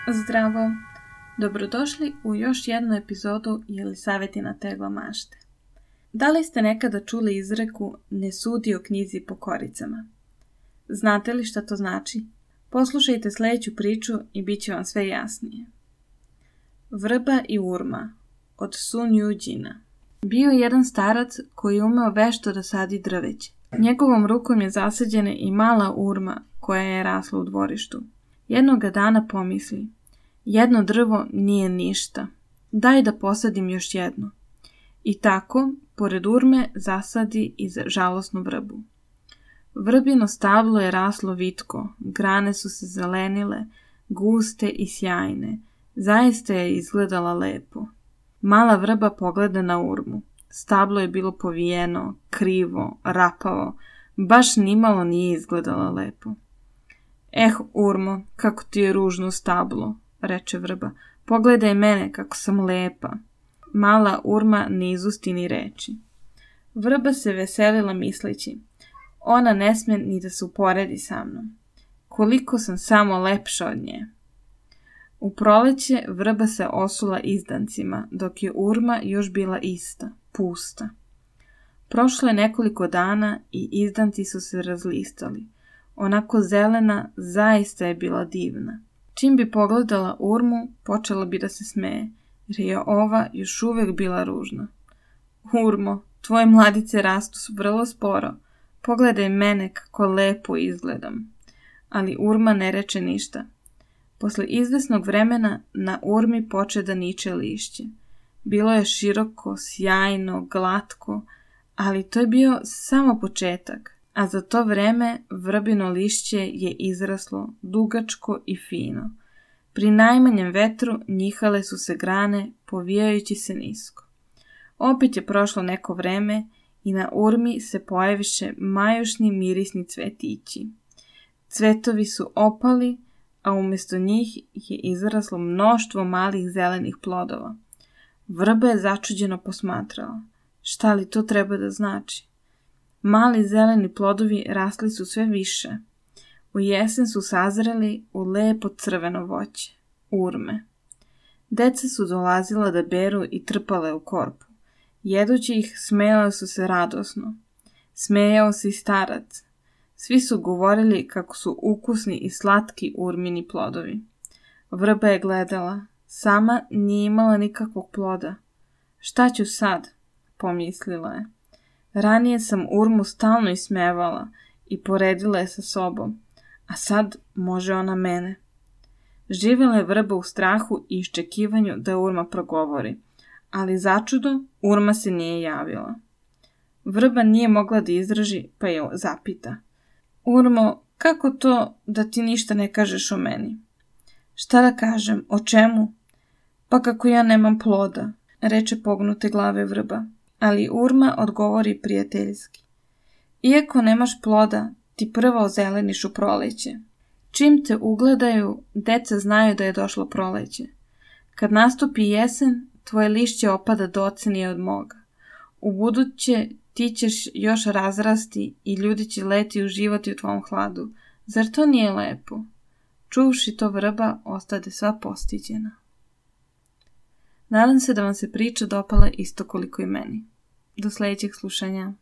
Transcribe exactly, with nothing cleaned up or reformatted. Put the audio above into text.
Zdravo! Dobrodošli u još jednu epizodu Jelisavetina tegla mašte. Da li ste nekada čuli izreku ne sudi o knjizi po koricama? Znate li šta to znači? Poslušajte sljedeću priču i bit će vam sve jasnije. Vrba i urma od Sun Yujina. Bio je jedan starac koji je umeo vešto da sadi drveće. Njegovom rukom je zasađena i mala urma koja je rasla u dvorištu. Jednoga dana pomisli, jedno drvo nije ništa, daj da posadim još jedno. I tako, pored urme, zasadi i žalosnu vrbu. Vrbino stablo je raslo vitko, grane su se zelenile, guste i sjajne, zaista je izgledala lepo. Mala vrba pogleda na urmu. Stablo je bilo povijeno, krivo, rapavo, baš nimalo nije izgledala lepo. Eh, urmo, kako ti je ružno stablo, reče vrba, pogledaj mene kako sam lepa. Mala urma ne izusti ni reči. Vrba se veselila misleći, ona ne sme ni da se uporedi sa mnom. Koliko sam samo lepša od nje. U proleće vrba se osula izdancima, dok je urma još bila ista, pusta. Prošlo je nekoliko dana i izdanci su se razlistali. Onako zelena, zaista je bila divna. Čim bi pogledala urmu, počela bi da se smeje, jer je ova još uvijek bila ružna. Urmo, tvoje mladice rastu vrlo sporo. Pogledaj mene kako lepo izgledam. Ali urma ne reče ništa. Posle izvesnog vremena na urmi poče da niče lišće. Bilo je široko, sjajno, glatko, ali to je bio samo početak. A za to vreme vrbino lišće je izraslo dugačko i fino. Pri najmanjem vetru njihale su se grane, povijajući se nisko. Opet je prošlo neko vreme i na urmi se pojaviše majušni mirisni cvetići. Cvetovi su opali, a umjesto njih je izraslo mnoštvo malih zelenih plodova. Vrba je začuđeno posmatrala. Šta li to treba da znači? Mali zeleni plodovi rasli su sve više. U jesen su sazreli u lepo crveno voće, urme. Deca su dolazila da beru i trpale u korpu. Jedući ih, smejale su se radosno. Smejao se i starac. Svi su govorili kako su ukusni i slatki urmini plodovi. Vrba je gledala. Sama nije imala nikakvog ploda. Šta ću sad? Pomislila je. Ranije sam urmu stalno ismevala i poredila je sa sobom, a sad može ona mene. Živjela je vrba u strahu i iščekivanju da urma progovori, ali začudo urma se nije javila. Vrba nije mogla da izraži, pa je zapita. Urmo, kako to da ti ništa ne kažeš o meni? Šta da kažem, o čemu? Pa kako ja nemam ploda, reče pognute glave vrba. Ali urma odgovori prijateljski. Iako nemaš ploda, ti prvo ozeleniš u proleće. Čim te ugledaju, deca znaju da je došlo proleće. Kad nastupi jesen, tvoje lišće opada docenije od moga. U buduće ti ćeš još razrasti i ljudi će leti uživati u tvom hladu. Zar to nije lepo? Čuvši to vrba, ostade sva postiđena. Nadam se da vam se priča dopala isto koliko i meni. Do sljedećeg slušanja.